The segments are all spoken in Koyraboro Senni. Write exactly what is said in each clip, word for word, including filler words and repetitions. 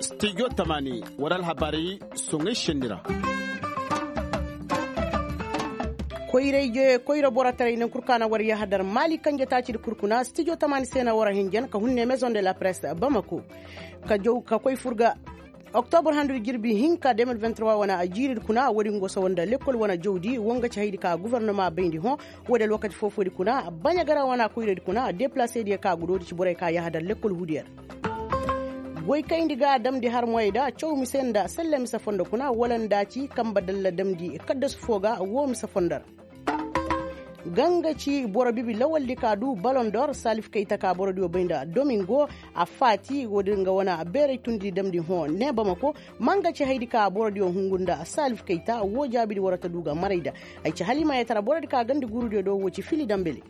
Stijo tamaani war alhabaari soŋay senni ra. Koyra borotaray naŋ kul ka na war yahadar maali kanje taacidi kul kuna stijo tamaani se na war hinjan ka hunne maison de la presse bamako ka koy fur ga. Oktobur handudi jirbi hinka de mil vingt trois wana a jiiridi kuna woodi nga go sawa nda lekkol wana jawdi wo nga ci haydi ka gofornoma bayndi hõ. Woodi alwakati foofoodi kuna baɲagara wana koyradi kuna deplaseediyo ka go doodi ci borey ka yahadar lekkol huudiyo ra. Goykayndi ga damndi har moyey da caw mise nda selle mise fondo kuna wala nda ci kamba dalla damndi kaddasu foo ga woo mise fondo ra. Ga nga ci boro bibi lawaldi ka du balondor salif kayta ka borodiyo bay nda domingo a faati woodi nga wane beeray tundi damndi hõ ne bamako. Ma nga ci haydi ka borodiyo hungu nda salif kayta woo jaabidi war ta du ga maray nda ay ci halimayetara borodi ka gandi guurudiyo do woo ci fili dambele.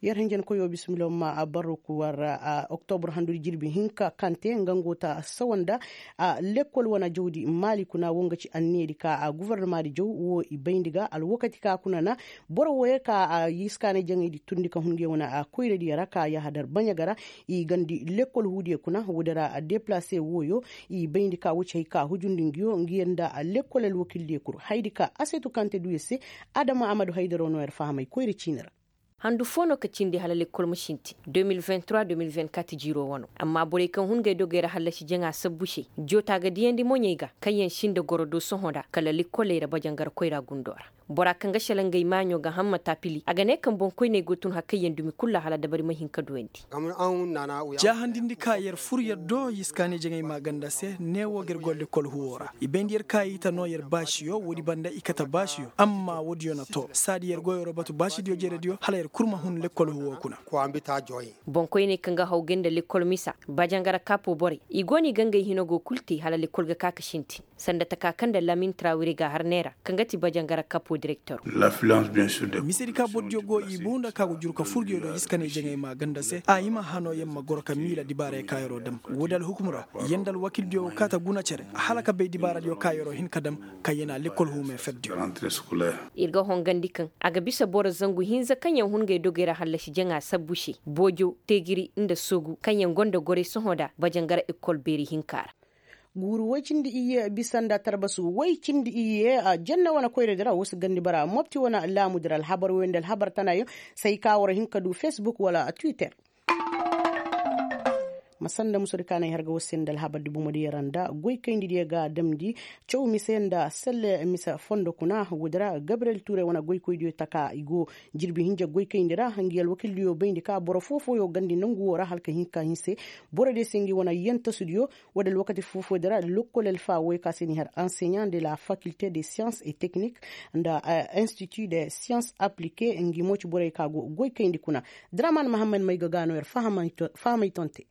Yer hinjankoyo bismillah ma a barru ku war ra oktobur handudi jirbi hinka kante nga ngo ta sawa nda lekkol wane jawdi maali kuna wo nga ci anneedi ka gofornomaadi jaw wo i bayndi ga alwakati ka kuna na boro wooyo ka yiskaanay jaŋaydi turndi ka hun nge wane koyradiyo ra ka yahadar baɲa ga ra. I gandi lekkol huudiyo kuna woodi ra deplase wooyo i bayndi ka wo ci hay ka hujundi nguyo nguyo nda lekkol alwakildiyo kul haydi ka asetu kante duyo se. Adama amadu haydaro no yer fahamay koyra ciini ra. Handu foo no ka cindi hala lekkol ma sintin deux mille vingt trois deux mille vingt quatre jiiroo wano amma borey kaŋ hun ngey dogey ra hallasi jaŋa sabbu se. Joota ga diyandi moɲey ga kaŋ yaŋ si nda goro do sohõ nda kala lekkoley ra bajangar koyra gundoo ra. Bora kaŋ ga selaŋ ngey maaɲo ga hamma taapili a ga ne kaŋ boŋkoyney go tun har kaŋ yaŋ dumi kul ra hala dabari ma hin ka duyandi. Jaahandindi ka yer fur yer do yiskaanay jaŋay maaganda se neewoo ga yer goro lekkol huwoo ra i bayndi yer ka i ta noo yer baasiyo woodi banda i kate baasiyo amma woodiyo na too saadi yer go yeroo batu baasidiyo jerediyo hala yer kul ma hun lekkol huwoo kuna. Boŋkoyney kaŋ ga hawgay nda lekkol misa bajangara kaapo borey i go no i ga ngey hino go kul te hala lekkol ga ka ka sintin sanda taka kaŋ nda lamin trawire ga har neera kaŋ ga ti bajangara kaapo direktor. Misedi ka bordiyo go i buu nda ka go juru ka furdiyo do iskaney jaŋey ma ganda se a hima hano yer ma goro ka miila dibaarey ka yeroo dam woodi alhukum ra yer nda alwakildiyo go kaa ta guna cere hala ka bay dibaaradiyo ka yeroo hin ka dam. Kaŋ yer na lekkol huumey ferdiyo. Ir ga hongandi kaŋ a ga bisa boro zangu hinza kaŋ yer hun ngey dogey ra hallasi jaŋa sabbu se boojo teegiri nda soogu kaŋ yer gonda gorey sohõ nda bajangara ekkol beeri hinka ra. Guuru woy cindi iyye bisa nda tarbasu woy cindi iyye janna wane koyradi ra wo si gandi bara mopti wane laamudi ra alhabar woy nda alhabar tanayaŋ. Say ka war hin ka du facebook wala twitter. Ma sanda musudi ka na ay har ga war se nda alhabar di bomodiyo ra nda goykayndi diyo ga damndi caw mise nda selle mise fondo kuna woodi ra gabriyel tuuray wane goykoydiyo taka i go jirbi hinja goykayndi ra ngi alwakildiyo bayndi ka boro foo-fooyo gandi nangu woo ra hala ka hin ka hinse. Borodiyo se ngi wane yantasudiyo woodi alwakati foo-fooyo di ra lokkol alfa woy ka se ni har anseɲa nda la fakilte de siyans et teknik nda institut de siyans aplike ngi mo ci borey ka go goykayndi kuna. Draman mahammad may ga ga no yer fahamay tonte.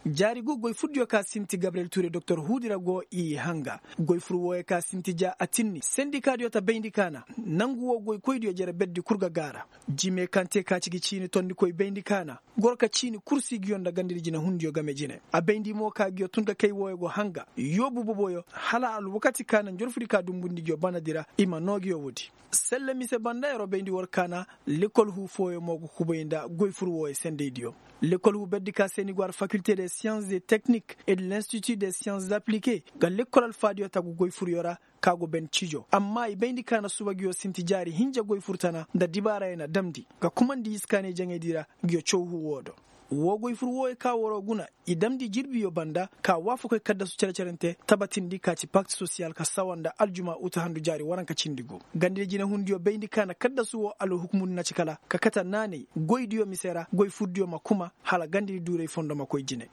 Jaari gu goy furdiyo ka sinti gabriyel tuure doktor huudi ra go i hanga goy fur wooyo ka sinti ja a tinni sendikaadiyo ta bayndi kaana. Nangu woo goykoydiyo jere berdi kul ga gaara. Jime kaŋ te ka ci gi ciini tondikoy bayndi kaana goro ka ciini kursi nguyo nda gandadi jinehundiyo game jine a bayndi mo ka nguyo tun ka kay wooyo go hanga yoobu boboyo hala alwakati kaana njorfudi ka dumbundi nguyo banadi ra i ma noo nguyo woodi. Selle mise banda yeroo bayndi war kaana. Lekol huu fooyo mo ga kubay nda goy fur wooyo sendaydiyo. Lekol huu berdi ka se ni go har fakilte de siyans de teknik et de l'institut de siyans aplike ga lekol alfaadiyo tagu goy furyo ra. Ka go ben cijo amma i bayndi kaana suba nguyo sinti jaari hinja goy fur tana nda dibaarayo na damndi ga kumandi iskaanay jaŋaydi ra. Nguyo caw huu woo do woo goy fur wooyo ka waroo guna i damndi jirbiyo banda ka waafakoy kaddasu cere-cerente tabatindi ka ci pakt sosiyal ka sawa nda aljuma uta handu jaari waranka cindi gu. Gandidi jinehundiyo bayndi kaana kaddasu woo alhukumudi na ci kala ka kate naanay goydiyo mise ra goy furdiyo ma kuma hala gandidi duuray fondo ma koy jine.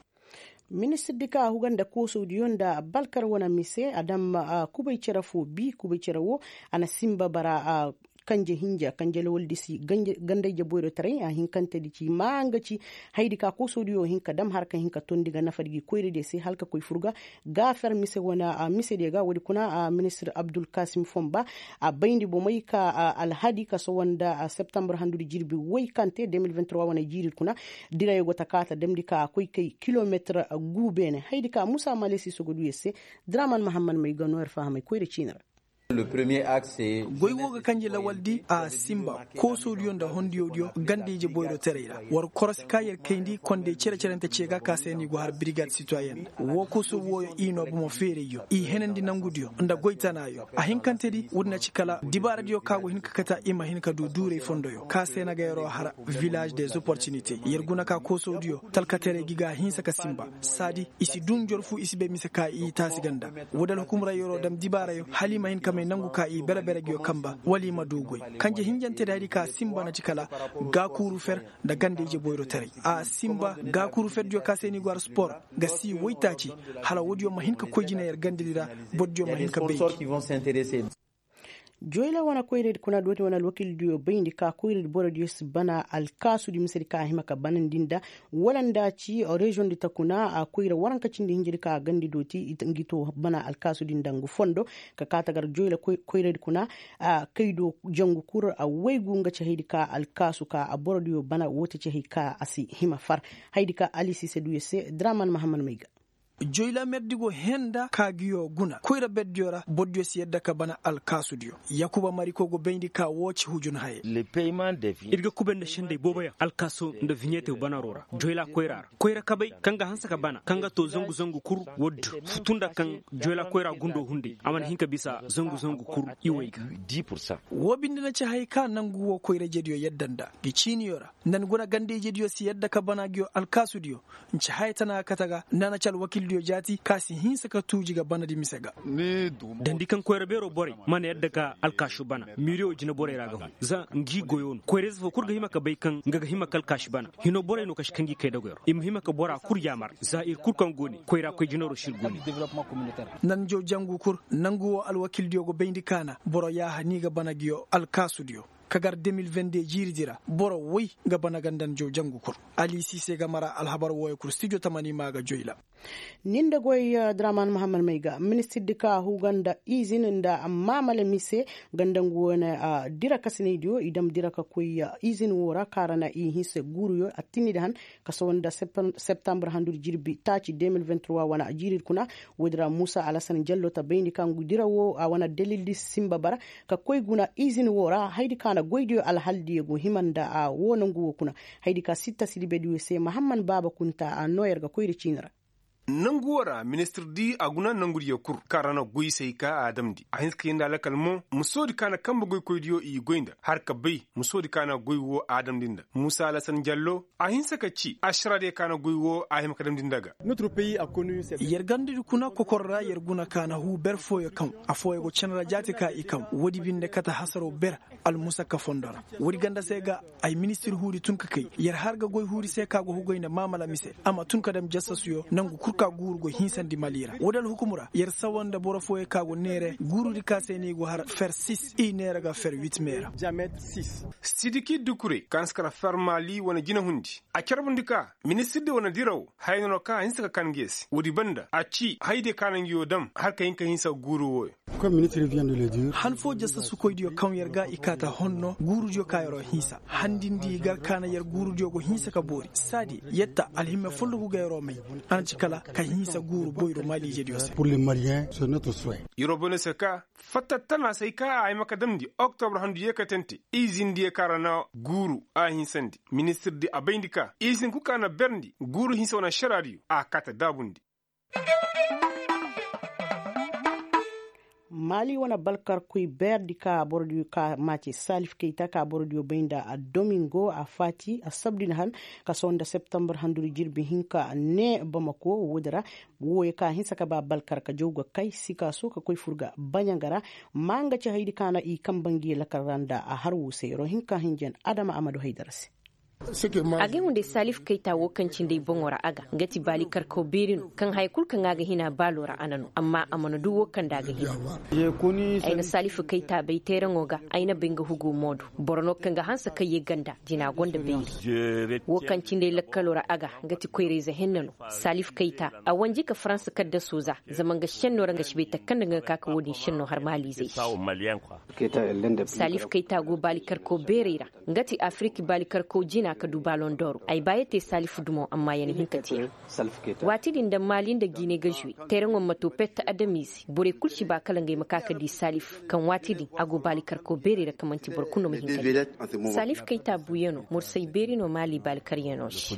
Ministirdi ka huga nda koosodiyo nda balkar wane mise a daŋ ma kubay cere foo bii kubay cere woo a na sinba bara. Kanje hinja kanje lawaldisi gandayje boyrotaray a hinkantedi ci maa nga ci hayadi ka koosodiyo hin ka dam har ka hin ka tondi ga nafadi gi koyradiyo se hala ka koy fur ga. Gaafer mise wane misediyo ga woodi kuna ministir abdulkasim fonba a bayndi bomey ka alhadi ka sohõ nda septambur handudi jirbi woy kaŋ te deux mille vingt trois wane jiiridi kuna. Dirayo go ta ka ta damndi ka koy kay kilometir guu beene hayadi ka muusa malesi sogoduyo se. Draman mahammad may ga no yer fahamay koyra ciini ra. Goy wo ga kanje lawaldi a sinba koosodiyo nda hondiyodiyo ganda-ije boyrotaray ra. War korosi ka yer kayndi konday cere-cerante ce ga ka se no i go har birigad sitoyen nda woo kooso wooyo i noo bomo feerayyo i henandi nangudiyo nda goy tanaayo. A hinkantedi woodin a ci kala dibaaradiyo ka go hin ka kate i ma hin ka du duuray fondoyo ka se no ga yeroo har vilaz des opportunités yer guna ka koosodiyo talkataray gi ga a hinsa ka sinba saadi i si duu njorfu i si bay mise ka i taasi ganda. Woodi alhukumra yeroo dam dibaarayo hala i ma hin ka may nangu ka i bere-bere nguyo kanba wala i ma duu goy. Kanje hinjantedi hayadi ka sinba na ci kala gaakuuru fer nda ganda-ije boyrotaray a sinba gaakuuru ferdiyo ka se no i go har spor ga sii woytaaci hala woodiyo ma hin ka koy jina yer gandadi ra. Bordiyo ma hin ka bay. Joyla wane koyradi kuna dooti wane alwakildiyo bayndi ka koyradi borodiyo si bana alkaasudi misedi ka a hima ka banandi nda wala nda ci reziyoŋ di ta kuna a koyra waranka cindi hinjadi ka a gandi dooti ngi to bana alkaasudi nda ngu fondo ka kaa ta gar joyla koyradi kuna. Kaydo jangu kul a waygu nga ci hayadi ka alkaasu ka a borodiyo bana woo ti ci hay ka a si hima far hayadi ka ali siise duyo se draman mahammad may ga. Joyla merdi go henda ka nguyo guna koyra berdiyo ra bordiyo si yadda ka bana alkaasudiyo. Yakuba mariko go bayndi ka woo ci hujun haye. Ir ga kubay nda sendey booboyaŋ alkaaso nda viɲeete banaro ra joyla koyra ra koyra kabay kaŋ ga hanse ka bana kaŋ ga too zangu zangu kul. Woo du futu nda kaŋ joyla koyra gundo hunday a mana hin ka bisa zangu zangu kul. Iway ga woo binde na ci haya ka nangu woo koyra-ijediyo yadda nda ngi ciiniyo ra nda ni guna ganda-ijediyo si yadda ka bana nguyo alkaasudiyo. Nci haya tana ga kate ga nda na ci alwakildiyo jaati ka si hinsa ka tuuji ga banadi mise ga. Dandi kaŋ koyra beeroo borey mana yadda ka alkaasu bana miiriyo jina borey ra ga hun za ngi goyo no koyra-ize foo kul ga hima ka bay kaŋ nga ga hima ka alkaasu bana. Hinoo borey no ka si kaŋ gi kay dagoyro i ma hima ka bora kul yaamar za ir kul kaŋ go ne koyra koy jinaroo si ir go ne. Nanjo jangu kul nangu woo alwakildiyo go bayndi kaana boro yaaha ni ga bana nguyo alkaasudiyo. Ka gar de mil vende jiiridi ra boro woy ga bana ga nda nanjo jangu kul. Ali siise ga mara alhabar wooyo kul stijo tamani maa ga joyla. Ni nda goy draman mahammad may ga ministirdi ka huga nda izin nda maamala mise ga nda ngu wane dira kasinaydiyo i dam dira ka koy izin woo ra kaŋ ra na i hinsa guuruyo attinni di han ka sohõ nda septambur handudi jirbi taaci de mil vingt trois wane jiiridi kuna. Woodi ra muusa alasan jallo ta bayndi ka ngu dira woo a wane dalildi sinba bara ka koy guna izin woo ra hayadi ka na goydiyo alhaldiyo go hima nda a woo nongu woo kuna. Hayadi ka sitta sidibediyo se mahamman baaba kunta a noo yer ga koyri ciini ra. Nangu woo ra ministirdi a guna nangudiyo kul kaŋ ra na goy se hay ka a damndi a hinse ka yee nda alakal mo musoodi ka na kanbe goykoydiyo i goy nda har ka bay musoodi ka na goy woo a damndi nda muusa alasan jallo a hinse ka ci ašaraadiyo ka na goy woo a hima ka damndi nda ga. Yer gandadi kuna kokor ra yer guna ka na huu ber fooyo kaŋ afooyo go cen ra jaati ka i kaŋ woodi binde kate hasaroo ber. Almusakka fondo ra woodi ganda se ga ay ministir huudi tun ka kay yer har ga goy huudi se ka go hugay nda maamala mise a ma tun ka dam jasasuyo nangu kul ka guuru go hinsandi mali ra woodi alhukum ra yer sawa nda boro fooyo ka go neere guurudi ka se no i go har fer sis i neere ga fer wit me ra. Sidiki dukure kaŋ si kar fer mali wane jinahundi a carbundi ka ministirdi wane diraw haya no ka a hinsa ka kan nge se woodi banda a ci hayadiyo ka na ngi woo dam har ka hin ka hinsa guuru wooyo. Han foo jasasukoydiyo kaŋ yer ga i kaata honno guurudiyo ka yeroo hinsa handindi gar ka na yer guurudiyo go hinsa ka boori saadi yetta alhimme follogu ga yeroo may. A na ci kala ka hinsa guuru boyro maaliijediyo se. Yeroo boyno se ka fatta tana se hay ka a hima ka damndi oktobra handu yeekatante izindiyo ka ra na guuru a hinsandi ministirdi a bayndi ka izin kul ka na berndi guuru hinsa wane ašaraadiyo a kaata daabundi. Maali wane balkarkoy beerdi ka borodiyo ka maace salif kayta ka borodiyo bay nda domingo a faati assabdin han ka sohõ nda septambur handuri jirbi hinka ne bamako woodi ra. Wooyo ka hinsa ka ba balkar ka jaw ga kay sikaaso ka koy fur ga baɲanga ra. Ma nga ci haydi ka na i kamba ngi lakal ra nda a har wo se yeroo hinka hinjan adama a ma du haydara se. A ga hunday salif kayta wo kaŋ cindi ay boŋo ra a ga nga ti baali karkaw beeri no kaŋ haya kulu kaŋ a ga hina baalo ra a na no amma a mana du wo kaŋ nda a ga hina. Ay na salif kayta bay teeraŋo ga ay na bay nga hugo moodu boro no kaŋ ga hanse kaŋ ye ganda jina gonda beeri. Wo kaŋ cindi ay lakkalo ra a ga nga ti koyrayze henna no. Salif kayta a wanji ka faransa kaddaso za zama nga šenno ra nga si bay takanda nga ga ka ka wo-din šenno har maaliizey se. Salif kayta go baali karkaw beerey ra nga ti afirik baali karkaw jina. Ka du balon doro ay ba ya te salif dumo amma ya na hin ka te. Waati din da maali nda gine ga zuwe teeraŋo ma to pet adamize borey kulu si ba kala ngey ma ka ka di salif kaŋ waati din a go baali karko beeri ra kaŋ manti boro kulu no ma hin ka di. Salif kayta buuyano mursay beeri no maali baali karyano se.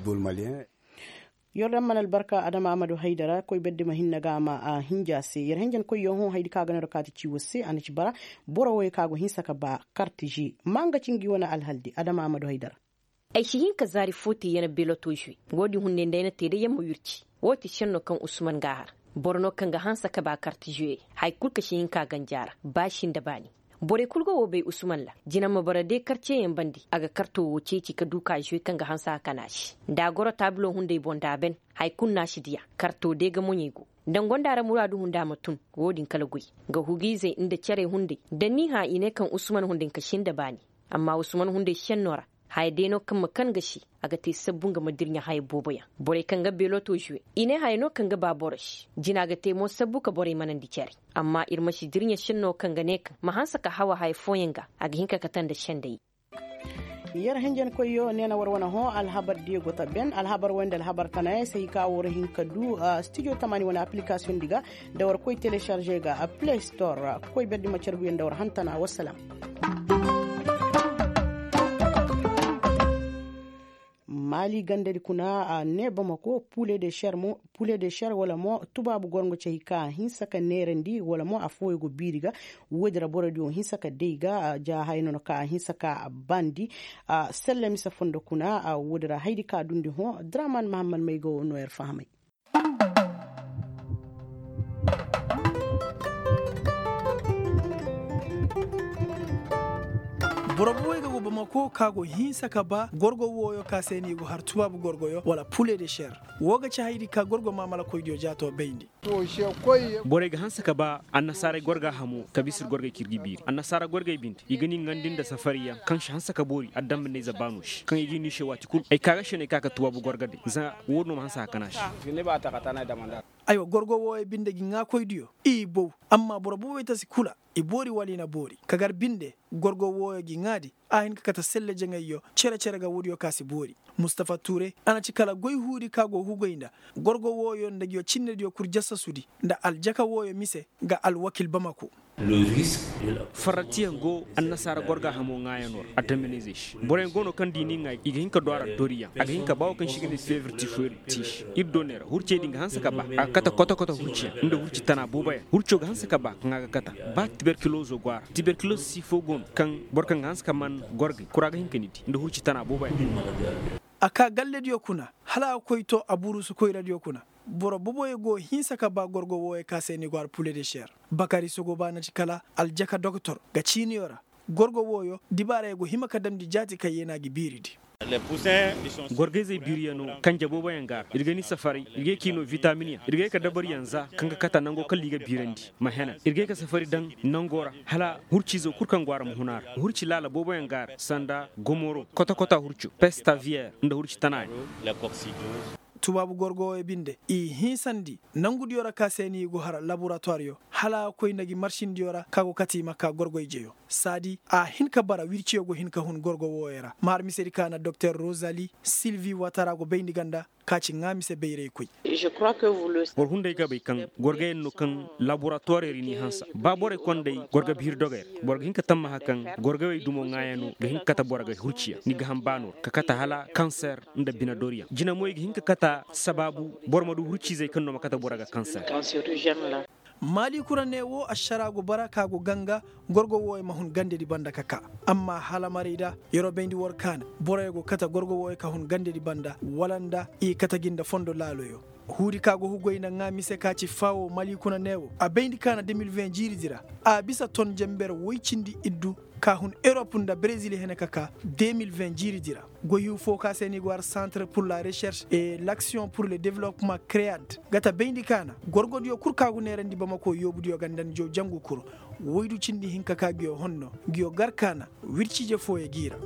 Yer daŋ mana albarka adama amadu haydara koy berdi ma hinna ga a ma a hinja se yer hinja ni koy yer hõ haydi kaŋ a ga no ra kaati ciiwo se a na ci bara. Boro wooyo kaŋ a go hinsa ka ba karti ze ma nga ci ngi wane alhaldi adama amadu haydara. Ay si hin ka zaari fo te yer na beloto zuwe. Wo- din hunday nda ay na te day yer ma wirci. Wo ti senno kaŋ usman ga a har. Boro no kaŋ ga hanse ka ba karti zuwe. Haya kulu ka si hin ka a ganja ra ba si nda baani. Borey kulu ga wo bay usman ra. Jina ma bara day karceyaŋ bande a ga karto wo ceeci ka du ka zuwe kaŋ ga hanse a kana se. Da a goro taabulo hunday boŋ da a ban. Haya kulu no a si diya. Karto day ga moɲey go. Da nga nda a ra muraadu hunda ma tun. Wo- din kala goy. Nga hugiizey nda cerey hunday da ni hã i ne kaŋ usman hunday ka si nda baani. Amma usman hunday senno ra. Haya day no kaŋ ma kan ga se. A ga te sabbu nga ma dirɲa haya booboyaŋ. Borey kaŋ ga beeloto zuwe. I ne haya no kaŋ ga ba boro se. Jina ga te mo sabbu ka borey manandi cere. Amma ir ma si dirɲa senno kaŋ ga ne kaŋ ma hanse ka hawa haya fooyaŋ ga. A ga hin ka kate nda sendey. Yer hinjankoyyo neena war wane hõ alhabar diyo go ta ben alhabar wayne nda alhabar tanayaŋ se i ka war hin ka du. Stijo tamaani wane aplikasiyoŋ di ga nda war koy telesarze ga play store ra koy berdi ma carguyaŋ nda war hantana wassalam. Maali gandadi kuna a ne bamako pule de ser wala mo tubaabu gorŋo cay ka a hinsa ka neerandi wala mo affooyo go biiri ga. Woodi ra boroodiyo hinsa ka day ga ja haya no no ka a hinsa ka a bandi. Selle mise fondo kuna woodi ra haydi ka a dundi hõ draman mahammad may go no yer fahamay. Boro booboy ga go bamako ka go hinsa ka ba gorgo wooyo ka se no i go har tubaabu gorgoyo wala pule de ser. Woo ga ci haydi ka gorgo maamalakoydiyo jaato bayndi. Borey ga hanse ka ba annasaaray gorga hamo ka bisa ir gorgey kaŋ ir ga i biiri annasaara gorgey binde i ga ni ŋandi nda safariyaŋ kaŋ si hanse ka boori adambaney za baano se kaŋ i ga i no i se waati kulu ay ka ga se no ay ka ka tubaabu gorga day za. Woo din no ma hanse a kana se. Aywa gorgo wooyo binde ga i ŋaakoydiyo i bow. Amma boro boobey tasi kula i boori wala i na boori ka gar binde. Gorgo wooyo ga i ŋaadi a hin ka kate selle jaŋayyo cere-cere ga woodiyo ka si boori. Mustafa tuure a na ci kala goy huudi ka go hugay nda gorgo wooyo nda nguyo cinnediyo kul jasasudi nda aljaka wooyo mise ga alwakil bamako. Farratiyaŋ go annasaara gorga hamo ŋaayanoo ra addaminayzey se boroyaŋ go no kaŋ da i n'i ŋaay i ga hin ka du a ra doriyaŋ a ga hin ka ba wo kaŋ se i ga ne feevirti fooyri ti se. Ir do ne ra hurcey din ga hanse ka ba a ga kate kote-kote hurciyaŋ nda hurci tana booboyaŋ hurco ga hanse ka ba kaŋ a ga kate. Ba tiberkilozo go a ra tiberkilozo si fo go no kaŋ boro kaŋ ga hanse ka man gorgey kura ga hin ka ni di nda hurci tana booboyaŋ. A ka gallediyo kuna hala a ga koy to aburusu koyradiyo kuna. Boro boboyo go hinsa ka ba gorgo wooyo ka se ni go har pule de ser. Bakari sogoba na ci kala aljaka doktor ga ciiniyo ra. Gorgo wooyo dibaarayo go hima ka damndi jaati kaŋ yeenaa ga biiridi. Gorgayzey biiriyanoo kanje booboyaŋ ga a ra ir ga ni safaray ir ga ye ka i noo vitaaminyaŋ ir ga ye ka dabaryaŋ za kaŋ ga kata nangoo kaŋ ra i ga biirandi. Ma henan ir ga ye ka safari daŋ nangoo ra hala hurciizoo kul kaŋ go a ra ma hun a ra hurci laala booboyaŋ ga a ra sanda gomoro kote-kote hurco pestaviyer nda hurci tanayaŋ. Tubaabu gorgo wooyo binde i hinsandi nangudiyo ra ka se no i go har laboratuwaryo hala a ga koy nda gi marsindiyo ra ka go kate i ma ka gorgoy jeyo. Saadi a hin ka bara wirciyo go hin ka hun gorgo wooyo ra ma har misedi ka na doktor rozali silvi watara go bayndi ganda. Ka ci ŋaa mise bayraykoy. Boro hunday ga bay kaŋ gorgayaŋ no kaŋ laboratuwarey ra i n'i hanse ba borey konday gorga biiri dogey ra boro ga hin ka tammaha kaŋ gorgawey dumo ŋaayanoo ga hin ka kate boro ga hurciyaŋ ni ga ham baanoo ra ka kate hala kanser nda binedoryaŋ jina mo i ga hin ka kate sabaabu boro ma du hurciizey kaŋ no ma kate boro ga kanser. Maali kuna ne wo ašara go bara ka go ganga gorgo wooyo ma hun gandedi banda ka ka. Amma hala maray da yeroo bayndi war kaana boroyo go kate gorgo wooyo ka hun gandedi banda wala nda i kate gi nda fondo laaloyo. Huudi ka go hugoy nda ŋaa mise ka ci faawo maali kuna ne wo a bayndi kaana de mil vin jiiridi ra. A bisa ton jenber woy cindi iddu ka hun erop nda berezil hene ka ka de mil vin jiiridi ra. Goyhu foo ka se no i go har santre pur la recherche et l'action pur le developpement cread ga ta bayndi kaana gorgodiyo kul ka go neerandi bamako yoobudiyo ganda nda jaw jangu kul. Woydu cindi hinka ka nguyo honno nguyo gar kaana wirciije fooyo g'i ra.